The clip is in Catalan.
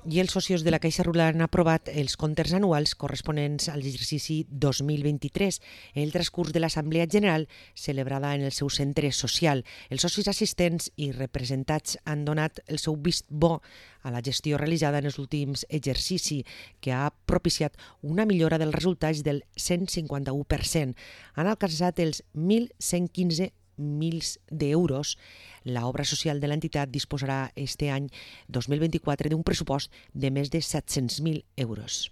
i els socis de la Caixa Rural han aprovat els comptes anuals corresponents a l'exercici 2023 en el transcurs de l'Assemblea General celebrada en el seu centre social. Els socis assistents i representats han donat el seu vist bo a la gestió realitzada en els últims exercicis, que ha propiciat una millora dels resultats del 151%. Han alcançat els 1.115 milions d'euros. L'obra social de l'entitat disposarà este any 2024 d'un pressupost de més de 700.000 euros.